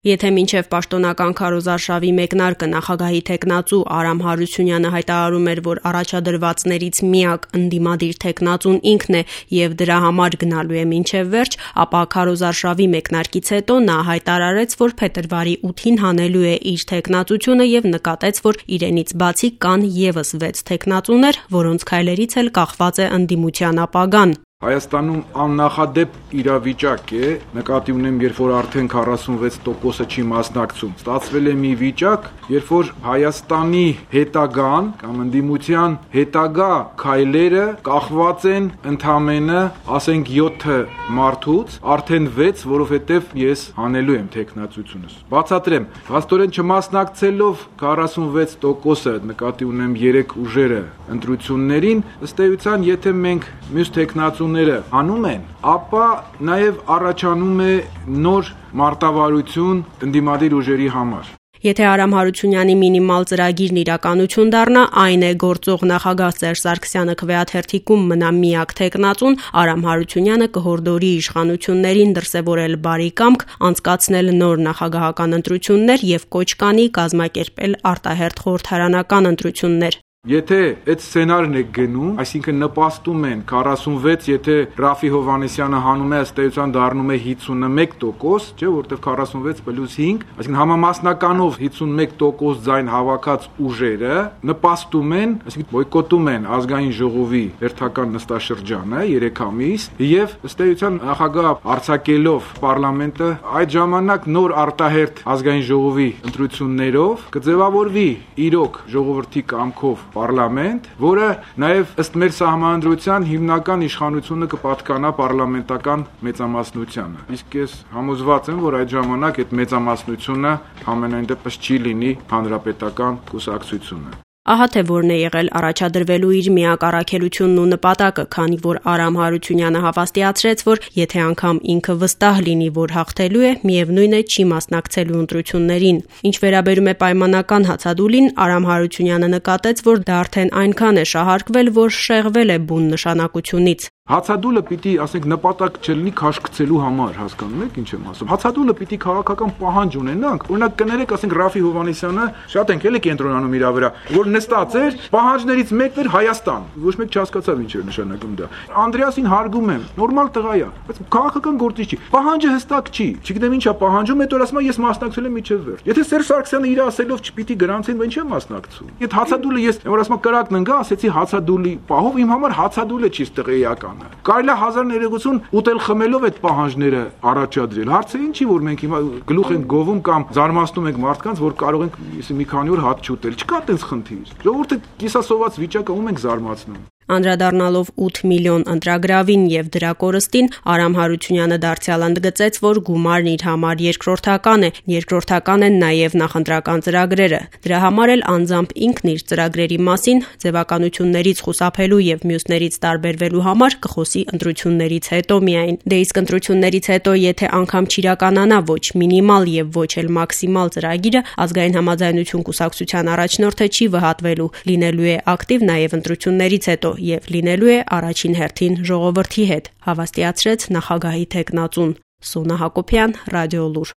Եթե մինչև պաշտոնական քարոզարշավի մեկնարկը նախագահի թեկնածու Արամ Հարությունյանը հայտարարում էր, որ առաջադրվածներից միակ ընդդիմադիր թեկնածուն ինքն է եւ դրա համար գնալու է մինչև վերջ, ապա քարոզարշավի մեկնարկից հետո նա հայտարարեց, որ փետրվարի 8-ին հանելու է իր թեկնածությունը եւ նկատեց, որ իրենից բացի կան եւս 6 թեկնածուներ, որոնց քայլերից էլ կախված է ընդդիմության ապագան։ Հայաստանում աննախադեպ իրավիճակ է, նկատի ունեմ, երբ որ արդեն 46%-ը չի մասնակցում։ Ստացվել է մի վիճակ, երբ որ Հայաստանի հետագան կամ ընդդիմության հետագա քայլերը կախված են ընդամենը, ասենք 7 մարդուց, արդեն 6, որովհետև ես հանելու եմ թեկնածությունս։ Բացատրեմ, փաստորեն չմասնակցելով 46%-ը, նկատի ունեմ 3 ուժերը ընտրություններին, ըստ էության, եթե մենք մյուս թեկնածուները հանում են, ապա նաև առաջանում է նոր մարտավարություն ընդդիմադիր ուժերի համար։ Եթե Արամ Հարությունյանի մինիմալ ծրագիրն իրականություն դառնա, այն է գործող նախագահ Սերժ Սարգսյանը քվեաթերթիկում մնա միակ թեկնածուն, Արամ Հարությունյանը կհորդորի իշխանություններին դրսևորել բարի կամք, անցկացնել նոր նախագահական ընտրություններ եւ կոչ կանի կազմակերպել արտահերթ խորհրդարանական ընտրություններ։ Եթե այդ սցենարն է գնում, այսինքն նպաստում են 46, եթե Ռաֆի Հովհաննիսյանը հանում է, ըստ էության դառնում է 51%, չէ, որտեղ 46 + 5, այսինքն համամասնականով 51% ձայն հավաքած ուժերը նպաստում են, այսինքն բոյկոտում են ազգային ժողովի հերթական նստաշրջանը 3 ամիս, եւ ըստ էության նախագահ արձակելով պարլամենտը, այդ ժամանակ նոր արտահերթ ազգային ժողովի ընտրություններով կձևավորվի իրոք ժողովրդի կամքով պարլամենտ, որը նաև ըստ մեր սահմանադրության հիմնական իշխանությունը կպատկանա պարլամենտական մեծամասնությանը։ Իսկ ես համոզված եմ, որ այդ ժամանակ այդ մեծամասնությունը համենայն դեպս չի լինի հանրապետական կուսակցությունը։ Ահա թե որն է եղել առաջադրվելու իր միակ առաքելությունն ու նպատակը, քանի որ Արամ Հարությունյանը հավաստիացրեց, որ եթե անգամ ինքը վստահ լինի, որ հաղթելու է, միևնույն է չի մասնակցելու ընտրություններին։ Ինչ վերաբերում է պայմանական հացադուլին, Արամ Հարությունյանը նկատեց, որ դա արդեն այնքան է շահարկվել, որ շեղվել է բուն նշանակությունից։ Հացադուլը պիտի, ասենք, նպատակ չլինի քաշքցելու համար, հասկանում եք ինչ եմ ասում։ Հացադուլը պիտի քաղաքական պահանջ ունենանք։ Օրինակ կներեք, ասենք Ռաֆի Հովհաննիսյանը շատ ենք էլի կենտրոնանում իր վրա, որ նստած էր, պահանջներից մեկն էր Հայաստան։ Ոչ մեկ չհասկացավ ինչ էր նշանակում դա։ Անդրեասին հարգում եմ, նորմալ տղա է, բայց քաղաքական գործիչ չի։ Պահանջը հստակ չի։ Չգիտեմ ինչա պահանջում, հետո ասում ես մասնակցել եմ միջև վերջ։ Եթե Սերժ Սարգսյանը իր ասելով չպիտի գրանցեն, ինչ է մասնակցում։ Այդ հացադուլը ես, որ ասում կրակն ընկա, ասեցի հացադուլի պահով, իմ համար հացադուլը չի ստեղեական։ Կարելի է 1000 ուտել խմելով այդ պահանջները առաջադրել։ Հարցը ինչի, որ մենք հիմա գլուխ ենք գովում կամ զարմացնում ենք մարդկանց, որ կարող ենք մի քանի օր հաց չուտել։ Չկա այդպես խնդիր։ Ժողովուրդը կիսասոված վիճակը ում ենք զարմացնում։ Անդրադառնալով 8 միլիոն ընտրագրավին եւ դրա կորստին, Արամ Հարությունյանը դարձյալ ընդգծեց, որ գումարն իր համար երկրորդական են նաեւ նախընտրական ծրագրերը։ Դրա համար էլ անձամբ ինքն իր ծրագրերի մասին ձևականություններից խուսափելու եւ մյուսներից տարբերվելու համար կխոսի ընտրություններից հետո միայն։ Դե իսկ ընտրություններից հետո, եթե անգամ չիրականանա ոչ մինիմալ եւ ոչ էլ մաքսիմալ ծրագիրը, ազգային համաձայնություն կուսակցության առաջնորդը չի վհատվելու, լինելու է ակտիվ նաեւ ընտրություններից հետո եւ լինելու է առաջին հերթին ժողովրդի հետ, հավաստիացրեց նախագահի թեկնածուն։ Սոնա Հակոբյան, Ռադիոլուր։